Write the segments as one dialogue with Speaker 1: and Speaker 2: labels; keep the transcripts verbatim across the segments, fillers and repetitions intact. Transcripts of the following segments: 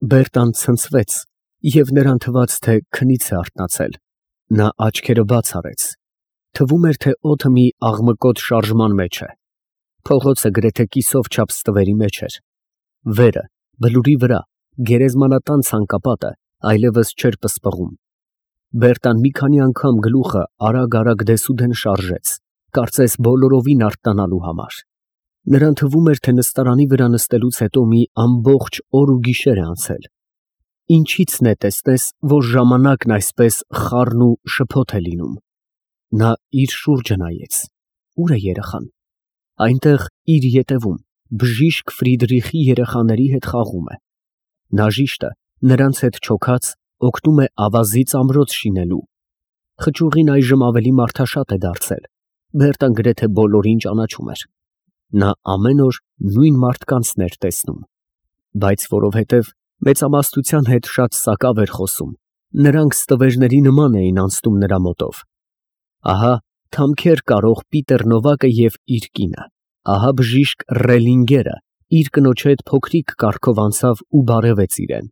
Speaker 1: Բերտան ցնցվեց, և նրան թվաց, թե քնից է արթնացել. նա աչքերը բաց արեց, թվում էր, թե օդը մի աղմկոտ շարժման մեջ է, փողոցը գրեթե կիսով չափ ստվերի մեջ էր, վերը, բլուրի վրա, գերեզմանատան ցանկապատը այլևս չէր պսպղում։ Բերտան մի քանի անգամ գլուխը արագ-արագ դեսուդեն շարժեց, կարծես բոլորովին արթնանալու համար։ Նրան թվում էր, թե նստարանի վրա նստելուց հետո մի ամբողջ օր ու գիշեր է անցել։ Ինչի՞ցն է տեսնես, որ ժամանակն այսպես խառն ու շփոթ է լինում։ Նա իր շուրջը նայեց. ուր է երեխան։ Այնտեղ իր ետևում բժիշկ Ֆրիդրիխի երեխաների հետ խաղում է։ Նաժիշտը նրանց հետ չոքած օգնում է ավազից ամրոց շինելու։ Խճուղին այժմ ավելի մարդաշատ է դարձել, Բերտան գրեթե բոլորին ճանաչում էր։ Նա ամեն օր նույն մարդկանցն էր տեսնում, բայց որովհետև մեծամասնության հետ շատ սակավ էր խոսում, նրանք ստվերների նման էին անցնում նրա մոտով։ Ահա թամքեր կարող Պիտեր Նովակը և իր կինը, ահա բժիշկ Ռելլինգերը իր կնոջ հետ փոքրիկ կառքով անցավ ու բարևեց իրեն,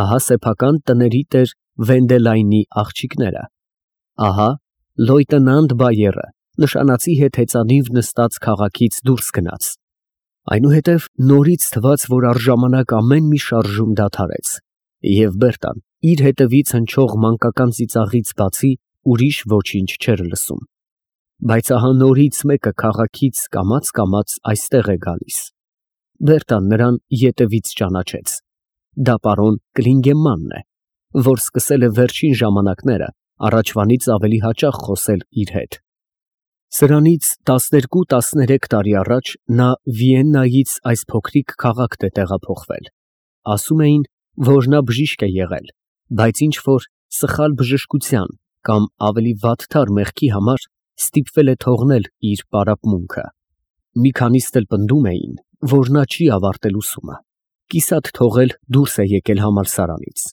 Speaker 1: ահա սեփական տների տեր Վենդելայնի աղջիկները, ահա լոյտենանտ Բայերը նշանածի հետ հեծանիվ նստած քաղաքից դուրս գնաց։ Այնուհետև նորից թվաց, որ առժամանակ ամեն մի շարժում դադարեց, և Բերտան իր հետևից հնչող մանկական ծիծաղից բացի ուրիշ ոչինչ չէր լսում։ Բայց ահա նորից մեկը քաղաքից կամաց֊կամաց այստեղ է գալիս։ Բերտան նրան ետևից ճանաչեց։ Դա պարոն Կլինգեմանն է, որ սկսել է վերջին ժամանակները առաջվանից ավելի հաճախ խոսել իր հետ։ Սրանից տասներկու֊տասներեք տարի առաջ նա Վիեննայից այս փոքրիկ քաղաք է տեղափոխվել։ Ասում էին, որ նա բժիշկ է եղել, բայց ինչ֊որ սխալ բժշկության կամ ավելի վատթար մեղքի համար ստիպվել է թողնել իր պարապմունքը։ Մի քանիստ էլ պնդում էին, որ նա չի ավարտել ուսումը, կիսատ թողել դուրս է եկել համալսարանից։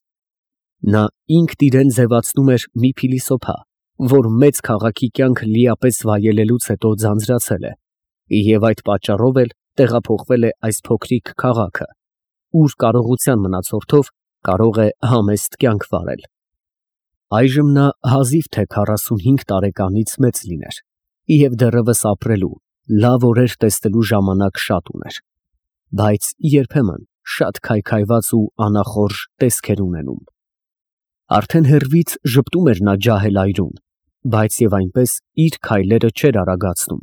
Speaker 1: Նա ինքն իրեն ձևացնում էր մի փիլիսոփա, որ մեծ քաղաքի կյանք լիապես վայելելուց հետո ձանձրացել է, և այդ պատճառով էլ տեղափոխվել է այս փոքրիկ քաղաքը, ուր կարողության մնացորդով կարող է համեստ կյանք վարել։ Այժմ նա հազիվ թե քառասունհինգ տարեկանից մեծ լիներ, և դեռևս ապրելու, լավ օրեր տեսնելու ժամանակ շատ ուներ, բայց երբեմն շատ քայքայված ու անախորժ տեսք էր ունենում։ Արդեն հեռվից ժպտում էր նա ջահել այրուն, բայց և այնպես իր քայլերը չէր արագացնում։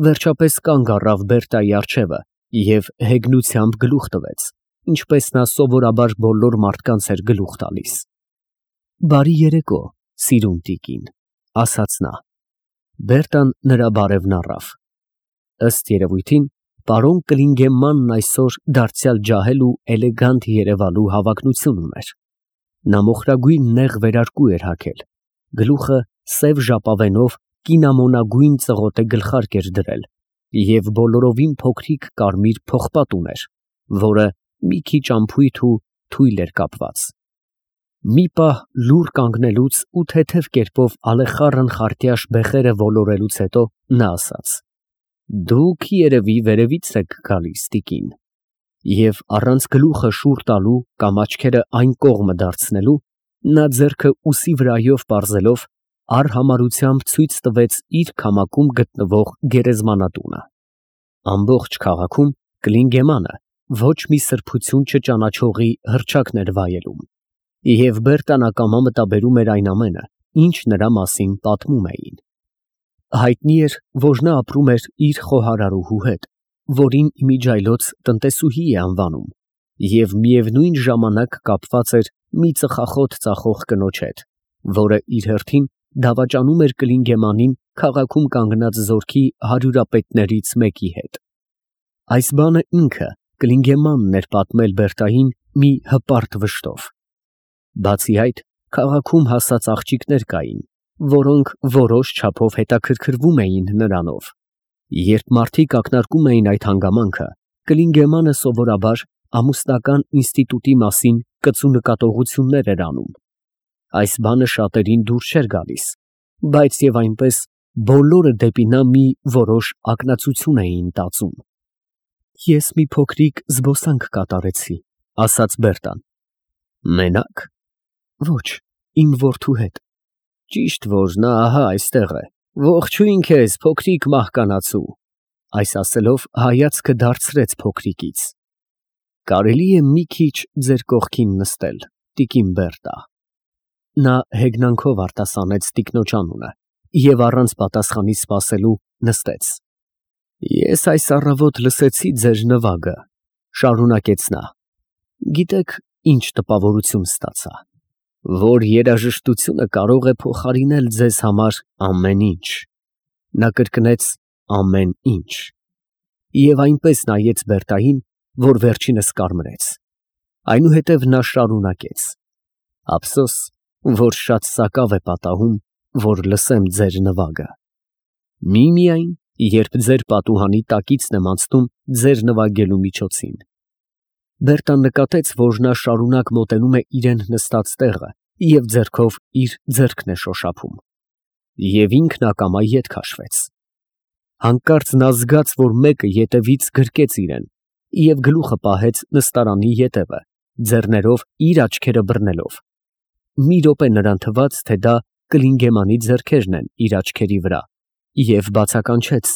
Speaker 1: Վերջապես կանգ առավ Բերտայի առջևը և հեգնությամբ գլուխ տվեց, ինչպես նա սովորաբար բոլոր մարդկանց էր գլուխ տալիս։ «Բարի երեկո, սիրուն տիկին», ֊ ասաց նա։ Բերտան նրա բարևն առավ։ Ըստ երևույթին, պարոն Կլինգեմանն այսօր դարձյալ ջահել ու էլեգանտ երևալու հավակնություն ուներ։ Նա մոխրագույն նեղ վերարկու էր հագել, գլուխը սև ժապավենով կինամոնագույն ծղոտե գլխարկ էր դրել և բոլորովին փոքրիկ կարմիր պողպատ ուներ, որը մի քիչ անփույթ ու թույլ էր կապված։ Մի պահ լուռ կանգնելուց ու թեթև կերպով ալեխառն խարտյաշ բեխերը ոլորելուց հետո նա ասաց. «Դուք երևի վերևից եք գալիս, տիկին», և առանց գլուխը շուռ տալու կամ աչքերը այն կողմը դարձնելու, նա ձեռքը ուսի վրայով պարզելով արհամարհությամբ ցույց տվեց իր քամակում գտնվող գերեզմանատունը։ Ամբողջ քաղաքում Կլինգեմանը ոչ մի սրբություն չճանաչողի հռչակն էր վայելում, և Բերտան ակամա մտաբերում էր այն ամենը, ինչ նրա մասին պատմում էին։ Հայտնի էր, որ նա ապրում էր իր խոհարարուհու հետ, որին իմիջիայլոց տնտեսուհի է անվանում, և միևնույն ժամանակ կապված էր մի ծխախոտ ծախող կնոջ հետ, որը իր հերթին դավաճանում էր Կլինգեմանին քաղաքում կանգնած զորքի հարյուրապետներից մեկի հետ։ Այս բանը ինքը Կլինգեմանն էր պատմել Բերտային մի հպարտ վշտով։ Բացի այդ, քաղաքում հասած աղջիկներ կային, որոնք որոշ չափով հետաքրքրվում էին նրանով։ Երբ մարդիկ ակնարկում էին այդ հանգամանքը, Կլինգեմանը սովորաբար ամուսնական ինստիտուտի մասին կծու նկատողություններ էր անում։ Այս բանը շատերին դուր չէր գալիս, բայց և այնպես բոլորը դեպի նա մի որոշ ակնածություն էին տածում։ «Ես մի փոքրիկ զբոսանք կատարեցի», ասաց Բերտան։ Մենակ։ Ոչ, իմ որդու հետ։ Ճիշտ որ նա ահա այստեղ է։ Ողջույն քեզ, փոքրիկ մահկանացու։ Այս ասելով հայացքը դարձրեց փոքրիկից։ Կարելի է մի քիչ ձեր կողքին նստել, տիկին Բերտա։ Նա հեգնանքով արտասանեց տիկնոջ անունը և առանց պատասխանի սպասելու նստեց։ Ես այս առավոտ լսեցի ձեր նվագը, շարունակեց նա։ Գիտեք, ինչ տպավորություն ստացա, որ երաժշտությունը կարող է փոխարինել ձեզ համար ամեն ինչ։ Նա կրկնեց ամեն ինչ և այնպես նայեց Բերտային, որ վերջինս կարմրեց։ Այնուհետև նա շարունակեց. Ափսոս, որ շատ սակավ է պատահում, որ լսեմ ձեր նվագը։ Միմիայն, երբ ձեր պատուհանի տակիցն եմ անցնում ձեր նվագելու միջոցին։ Բերտան նկատեց, որ նա շարունակ մոտենում է իրեն նստած տեղը և ձեռքով իր ձեռքն է շոշափում։ Եվ ինքն ակամա ետ քաշվեց։ Հանկարծ նա զգաց, որ մեկը ետևից գրկեց իրեն և գլուխը պահեց նստարանի ետևը, ձեռներով իր աչքերը բռնելով։ Մի րոպե նրան թվաց, թե դա Կլինգեմանի ձեռքերն են իր աչքերի վրա, և բացականչեց.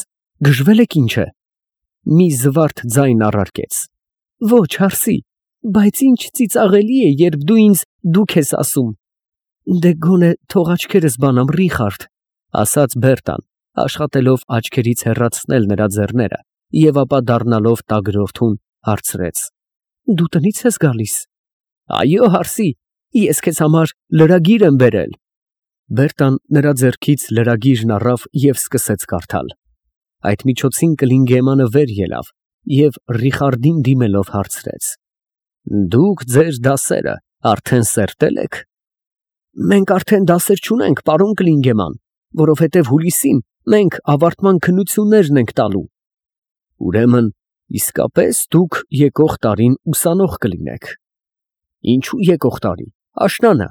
Speaker 1: Գժվել եք ինչ է։ Մի զվարթ ձայն առարկեց. Ոչ, հարսի, բայց ինչ ծիծաղելի է, երբ դու ինձ դուք ես ասում։ Դե գոնե թող աչքերս բանամ, Ռիխարդ, ասաց Բերտան, աշխատելով աչքերից հեռացնել նրա ձեռները և ապա դառնալով տագրորթուն հարցրեց. Դու տնի՞ց ես գալիս։ Այո, հարսի, ես քեզ համար լրագիր եմ բերել։ Բերտան նրա ձեռքից լրագիրն առավ և սկսեց կարդալ։ Այդ միջոցին Կլինգեմանը վեր ելավ և Ռիխարդին դիմելով հարցրեց. Դուք ձեր դասերը արդեն սերտել եք։ Մենք արդեն դասեր չունենք, պարոն Կլինգեման, որովհետև հուլիսին մենք ավարտման քննություններն ենք տալու։ Ուրեմն, իսկապես դուք եկող տարին ուսանող կլինեք։ Ինչու եկող տարի, աշնանը։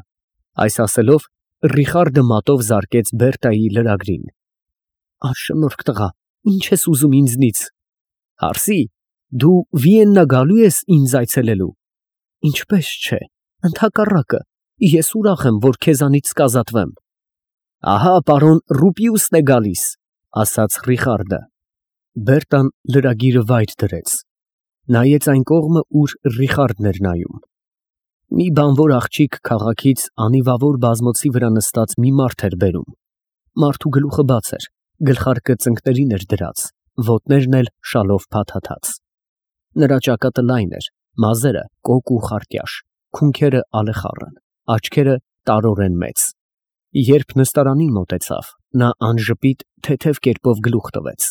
Speaker 1: Այս ասելով Ռիխարդը մատով զարկեց Բերտայի լրագրին։ Անշնորհք տղա, ինչ ես ուզում ինձնից։ Հարսի, դու Վիեննա գալու ես ինձ այցելելու։ Ինչպես չէ, ընդհակառակը, ես ուրախ եմ, որ քեզանից կազատվեմ։ Ահա պարոն Ռուպիուսն է գալիս, ասաց Ռիխարդը։ Բերտան լրագիրը վայր դրեց։ Նայեց այն կողմը, ուր Ռիխարդն էր նայում։ Մի բանվոր աղջիկ քաղաքից անիվավոր բազմոցի վրա նստած մի մարդ էր բերում։ Մարդու գլուխը բաց էր, գլխարկը ծնկներին էր դրած, ոտներն էլ շալով փաթաթած։ Նրա ճակատը լայն էր, մազերը կոկ ու խարտյաշ, քունքերը ալեխառն, աչքերը տարորեն մեծ։ Երբ նստարանին մոտեցավ, նա անժպիտ թեթև կերպով գլուխ տվեց։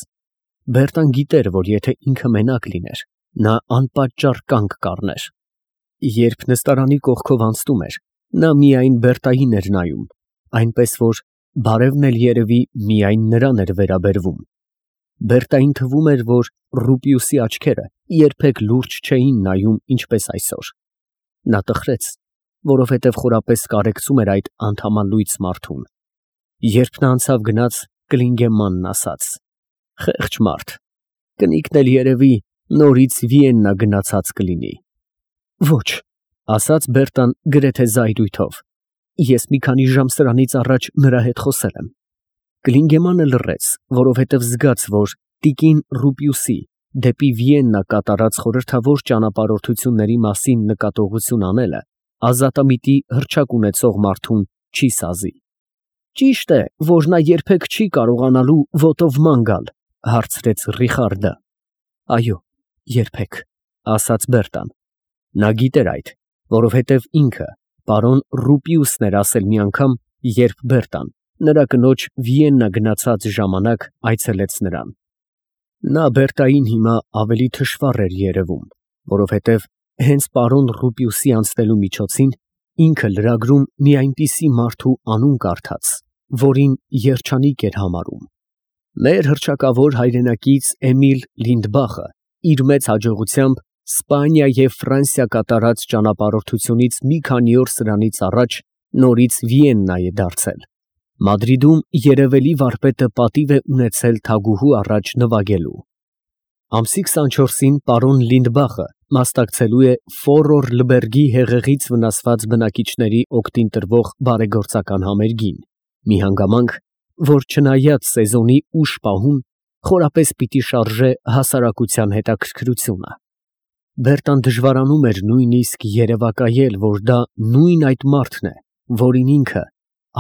Speaker 1: Բերտան գիտեր, որ եթե ինքը մենակ լիներ, նա անպատճառ կանգ կառներ։ Երբ նստարանի կողքով անցնում էր, նա միայն Բերտային էր նայում, այնպես որ բարևն էլ երևի միայն նրան էր վերաբերվում։ Բերտային թվում էր, որ Ռուպիուսի աչքերը երբեք լուրջ չէին նայում ինչպես այսօր։ Նա տխրեց, որովհետև խորապես կարեկցում էր այդ անդամալույծ մարդուն։ Երբ նա անցավ գնաց, Կլինգեմանն ասաց. Խեղճ մարդ, կնիկն էլ երևի նորից Վիեննա գնացած կլինի։ Ոչ, ասաց Բերտան գրեթե զայրույթով, ես մի քանի ժամ սրանից առաջ նրա հետ խոսել եմ։ Կլինգեմանը լռեց, որովհետև զգաց, որ տիկին Ռուպիուսի դեպի Վիեննա կատարած խորհրդավոր ճանապարհորդությունների մասին նկատողություն անելը ազատամիտի հռչակ ունեցող մարդուն չի սազի։ Ճիշտ է, որ նա երբեք չի կարողանալու ոտով ման գալ, հարցրեց Ռիխարդը։ Այո, երբեք, ասաց Բերտան։ Նա գիտեր այդ, որովհետև ինքը պարոն Ռուպիուսն էր ասել մի անգամ, երբ Բերտան նրա կնոջ Վիեննա գնացած ժամանակ այցելեց նրան։ Նա Բերտային հիմա ավելի թշվառ էր երևում, որովհետև հենց պարոն Ռուպիուսի անցնելու միջոցին ինքը լրագրում մի այնպիսի մարդու անուն կարդաց, որին երջանիկ էր համարում։ Մեր հռչակավոր հայրենակից Էմիլ Լինդբախը իր մեծ հաջողությամբ Սպանիա և Ֆրանսիա կատարած ճանապարհորդությունից մի քանի օր սրանից առաջ նորից Վիեննա է դարձել։ Մադրիդում երևելի վարպետը պատիվ է ունեցել թագուհու առաջ նվագելու։ Ամսի քսանչորսին պարոն Լինդբախը մասնակցելու է Ֆորոր Լբերգի հեղեղից վնասված բնակիչների օգտին տրվող բարեգործական համերգին, մի հանգամանք, որ չնայած սեզոնի ուշ պահուն, խորապես պիտի շարժե հասարակության հետաքրքրությունը։ Բերտան դժվարանում էր նույնիսկ երևակայել, որ դա նույն այդ մարդն է, որին ինքը,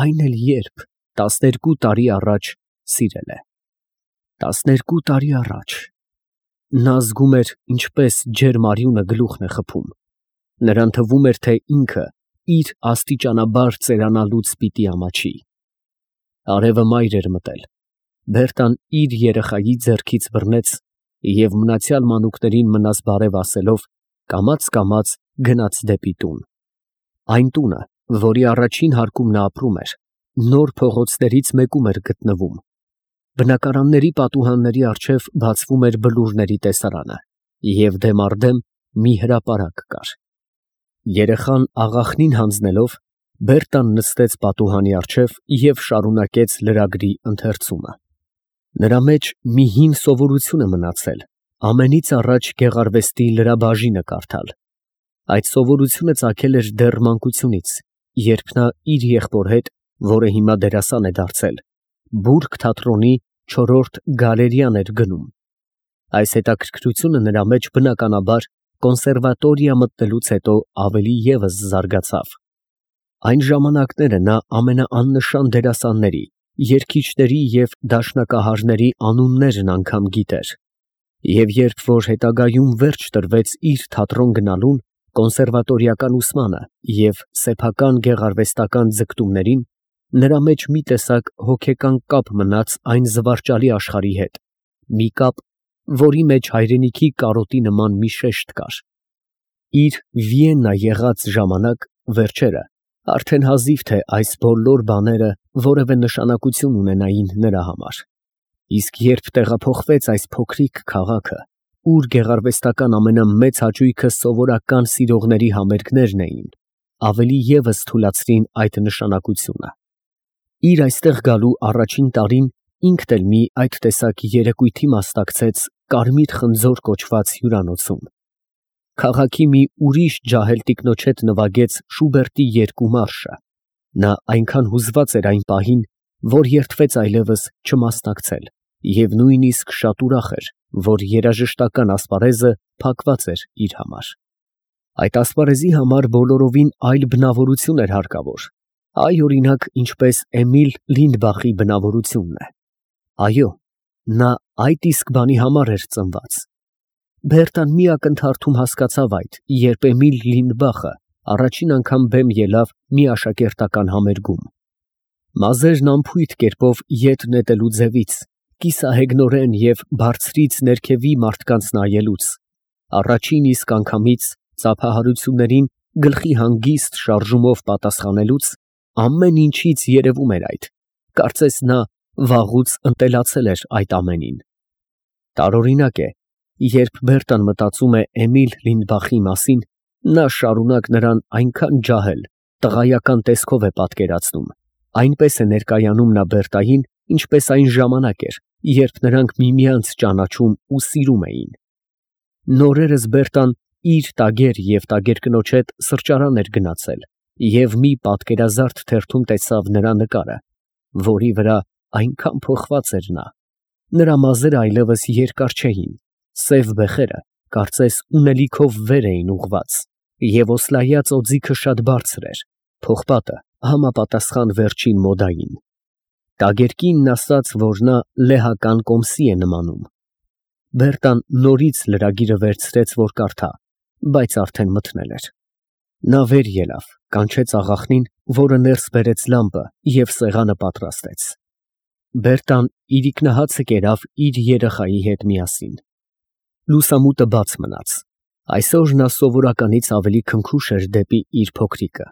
Speaker 1: այն էլ երբ, տասներկու տարի առաջ սիրել է։ Տասներկու տարի առաջ… Նա զգում էր, ինչպես ջերմ արյունը գլուխն է խփում։ Նրան թվում էր, թե ինքը իր աստիճանաբար ծերանալուց պիտի ամաչի։ Արևը մայր էր մտել։ Բերտան իր երեխայի ձեռքից բռնեց և մնացյալ մանուկներին մնաս բարև ասելով, կամաց֊կամաց գնաց դեպի տուն։ Այն տունը, որի առաջին հարկում նա ապրում էր, նոր փողոցներից մեկում էր գտնվում։ Բնակարանների պատուհանների առջև բացվում էր բլուրների տեսարանը, և դեմ առ դեմ մի հրապարակ կար։ Երեխան աղախնին հանձնելով, Բերտան նստեց պատուհանի առջև և շարունակեց լրագրի ընթերցումը։ Նրա մեջ մի հին սովորություն է մնացել, ամենից առաջ գեղարվեստի լրաբաժինը կարդալ։ Այդ սովորությունը ծագել էր դեռ մանկությունից, երբ նա իր եղբոր հետ, որը հիմա դերասան է դարձել, Բուրգ թատրոնի չորրորդ գալերեան էր գնում։ Այս հետաքրքրությունը նրա մեջ, բնականաբար, կոնսերվատորիա մտնելուց հետո ավելի ևս զարգացավ։ Այն ժամանակները նա ամենաաննշան դերասանների, երգիչների և դաշնակահարների անուններն անգամ գիտեր, և երբ որ հետագայում վերջ տրվեց իր թատրոն գնալուն, կոնսերվատորիական ուսմանը և սեփական գեղարվեստական ձգտումներին, նրա մեջ մի տեսակ հոգեկան կապ մնաց այն զվարճալի աշխարհի հետ, մի կապ, որի մեջ հայրենիքի կարոտի նման մի շեշտ կար։ Իր Վիեննա եղած ժամանակ, վերջերը, արդեն հազիվ թե այս բոլոր բաները որևէ նշանակություն ունենային նրա համար։ Իսկ երբ տեղափոխվեց այս փոքրիկ քաղաքը, ուր գեղարվեստական ամենամեծ հաճույքը սովորական սիրողների համերգներն էին, ավելի ևս թուլացրին այդ նշանակությունը։ Իր այստեղ գալու առաջին տարին ինքն էլ մի այդ տեսակ երեկույթի մասնակցեց Կարմիր խնձոր կոչված հյուրանոցում։ Քաղաքի մի ուրիշ ջահել տիկնոջ հետ նվագեց Շուբերտի երկու մարշը։ Նա այնքան հուզված էր այն պահին, որ երդվեց այլևս չմասնակցել, և նույնիսկ շատ ուրախ էր, որ երաժշտական ասպարեզը փակված էր իր համար։ Այդ ասպարեզի համար բոլորովին այլ բնավորություն էր հարկավոր, այ, օրինակ, ինչպես Էմիլ Լինդբախի բնավորությունն է։ Այո, նա այդ իսկ բանի համար էր ծնված։ Բերտան մի ակնթարթում հասկացավ այդ, երբ Էմիլ Լինդբախը առաջին անգամ բեմ ելավ մի աշակերտական համերգում։ Մազերն անփույթ կերպով ետ նետելու ձևից, կիսահեգնորեն և բարձրից ներքևի մարդկանց նայելուց, առաջին իսկ անգամից ծափահարություններին գլխի հանգիստ շարժումով պատասխանելուց, ամեն ինչից երևում էր այդ, կարծես նա վաղուց ընտելացել էր այդ ամենին։ Տարօրինակ է, երբ Բերտան մտածում է Էմիլ Լինդբախի մասին, նա շարունակ նրան այնքան ջահել, տղայական տեսքով է պատկերացնում, այնպես է ներկայանում նա Բերտային, ինչպես այն ժամանակ էր, երբ նրանք միմյանց ճանաչում ու սիրում էին։ Նորերս Բերտան իր տագեր և տագերկնոջ հետ սրճարան էր գնացել և մի պատկերազարդ թերթում տեսավ նրա նկարը, որի վրա այնքան փոխված էր նա։ Նրա մազերը այլևս երկար չէին, սև բեխերը, կարծես ունելիքով վեր էին ուղղված, և օսլայած օձիքը շատ բարձր էր, պողպատը համապատասխան վերջին մոդային։ Տագերկինն ասաց, որ նա լեհական կոմսի է նմանում։ Բերտան նորից լրագիրը վերցրեց, որ կարդա, բայց արդեն մթնել էր։ Նա վեր ելավ, կանչեց աղախնին, որը ներս բերեց լամպը և սեղանը պատրաստեց։ Բերտան իրիկնահացը կերավ իր երեխայի հետ միասին։ Լուսամուտը բաց մնաց։ Այսօր նա սովորականից ավելի քնքուշ էր դեպի իր փոքրիկը։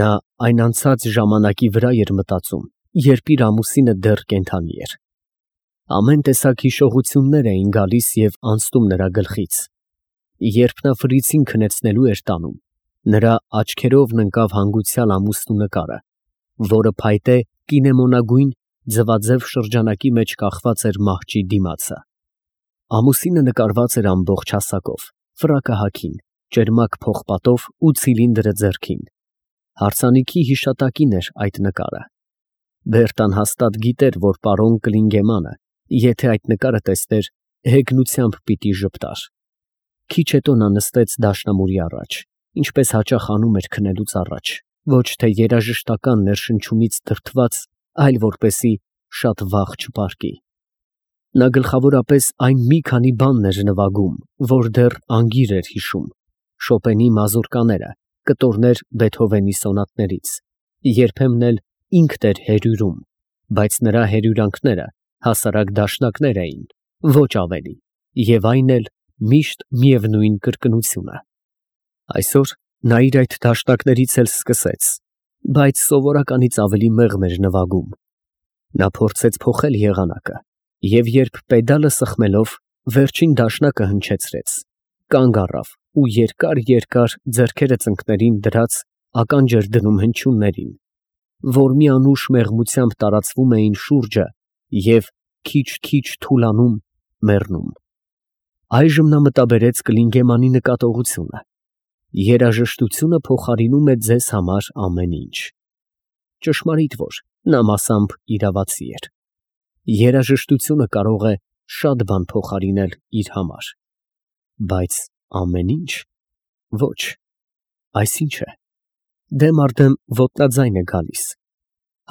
Speaker 1: Նա այն անցած ժամանակի վրա էր մտածում, երբ իր ամուսինը դեռ կենդանի էր։ Ամեն տեսակ հիշողություններ էին գալիս և անցնում նրա գլխից։ Երբ նա ֆրիցին քնեցնելու էր տանում, նրա աչքերովն ընկավ հանգուցյալ ամուսնու նկարը, որը փայտե կինեմոնագույն ձվաձև շրջանակի մեջ կախված էր մահճի դիմացը։ Ամուսինը նկարված էր ամբողջ հասակով, ֆրակահակին, ճերմակ փողպատով ու ցիլինդրը ձեռքին։ Հարսանիքի հիշատակին էր այդ նկարը։ Բերտան հաստատ գիտեր, որ պարոն Կլինգեմանը, եթե այդ նկարը տեսներ, հեգնությամբ պիտի ժպտար։ Քիչ հետո նա նստեց դաշնամուրի առաջ, ինչպես հաճախ անում էր քնելուց առաջ, ոչ թե երաժշտական ներշնչումից դրդված, այլ որպեսզի շատ վաղ չպարկի։ Նա գլխավորապես այն մի քանի բանն էր նվագում, որ դեռ անգիր էր հիշում. Շոպենի մազուրկաները, կտորներ Բեթհովենի սոնատներից, երբեմն էլ ինքն էր հերյուրում, բայց նրա հերյուրանքները հասարակ դաշնակներ էին, ոչ ավելի, և այն էլ միշտ միևնույն կրկնությունը։ Այսօր նա իր այդ դաշնակներից էլ սկսեց, բայց սովորականից ավելի մեղմ էր նվագում։ Նա փորձեց փոխել եղանակը և երբ պեդալը սխմելով վերջին դաշնակը հնչեցրեց, կանգ առավ ու երկար֊երկար ձեռքերը ծնկներին դրած ականջ էր դնում հնչյուններին, որ մի անուշ մեղմությամբ տարածվում էին շուրջը և քիչ֊քիչ թուլանում, մեռնում։ Այժմ նա մտաբերեց Կլինգեմանի նկատողությունը. երաժշտությունը փոխարինում է ձեզ համար ամեն ինչ։ Ճշմարիտ որ նա մասամբ իրավացի էր։ Երաժշտությունը կարող է շատ բան փոխարինել իր համար, բայց ամեն ինչ, ոչ, այսինչ է։ Դեմ առ դեմ ոտնաձայն է գալիս,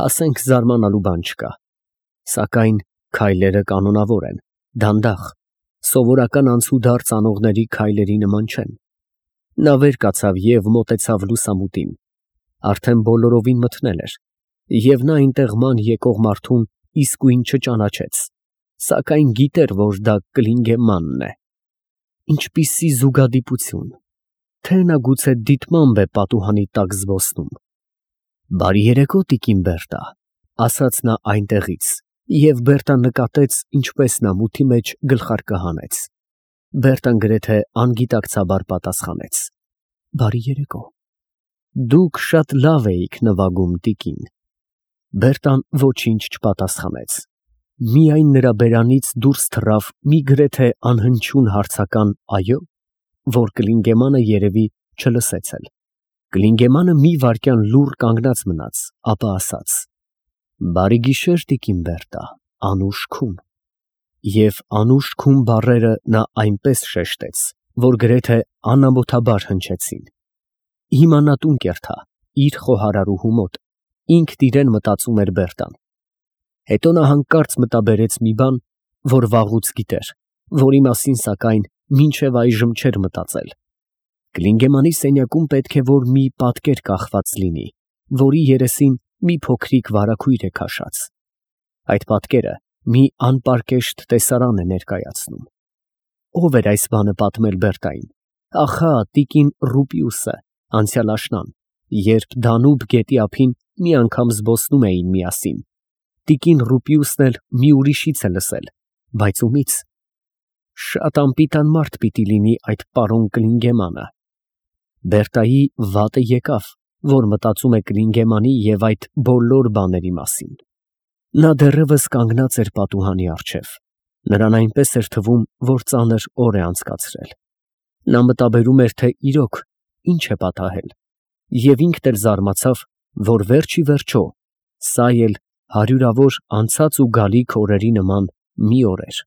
Speaker 1: ասենք զարմանալու բան չկա, սակայն քայլերը կանոնավոր են, դանդաղ, սովորական անցուդարձ անողների քայլերի նման չեն։ Նա վեր կացավ և մոտեցավ լուսամուտին, արդեն բոլորովին մթնել էր, և նա այնտեղ ման եկող մարդուն իսկույն չճանաչեց, սակայն գիտեր, որ դա Կլինգեմանն է։ Ինչպիսի զուգադիպություն, թե նա գուցե դիտմամբ է պատուհանի տակ զբոսնում։ «Բարի երեկո, տիկին Բերտա», ֊ ասաց նա այնտեղից, և Բերտան նկատեց, ինչպես նա մութի մեջ գլխարկը հանեց։ Բերտան գրեթե անգիտակցաբար պատասխանեց. «Բարի երեկո»։ Դուք շատ լավ էիք նվագում, տիկին։ Բերտան ոչինչ չպատասխանեց, միայն նրա բերանից դուրս թռավ մի գրեթե անհնչյուն հարցական «այո», որ Կլինգեմանը երևի չլսեց էլ։ Կլինգեմանը մի վայրկյան լուռ կանգնած մնաց, ապա ասաց. «Բարի գիշեր, տիկին Բերտա, անուշ քուն»։ Եվ անուշ քուն բառերը նա այնպես շեշտեց, որ գրեթե անամոթաբար հնչեցին։ Հիմա նա տուն կերթա, իր խոհարարուհու մոտ, ինքն իրեն մտածում էր Բերտան։ Հետո նա հանկարծ մտաբերեց մի բան, որ վաղուց գիտեր, որի մասին, սակայն, մինչև այժմ չէր մտածել։ Կլինգեմանի սենյակում պետք է որ մի պատկեր կախված լինի, որի երեսին մի փոքրիկ վարագույր է քաշած։ Այդ պատկերը մի անպարկեշտ տեսարան է ներկայացնում։ Ո՞վ էր այս բանը պատմել Բերտային։ Ախա, տիկին Ռուպիուսը, անցյալ աշնան, երբ Դանուբ գետի ափին մի անգամ զբոսնում էին միասին։ Տիկին Ռուպիուսն էլ մի ուրիշից է լսել, բայց ումի՞ց։ Շատ անպիտան մարդ պիտի լինի այդ պարոն Կլինգեմանը։ Բերտայի վատը եկավ, որ մտածում է Կլինգեմանի և այդ բոլոր բաների մասին։ Նա դեռևս կանգնած էր պատուհանի առջև, նրան այնպես էր թվում, որ ծանր օր է անցկացրել։ Նա մտաբերում էր, թե իրոք ինչ է պատահել, և ինքն էլ զարմացավ, որ վերջ ի վերջո սա էլ հարյուրավոր անցած ու գալիք օրերի նման մի օր էր։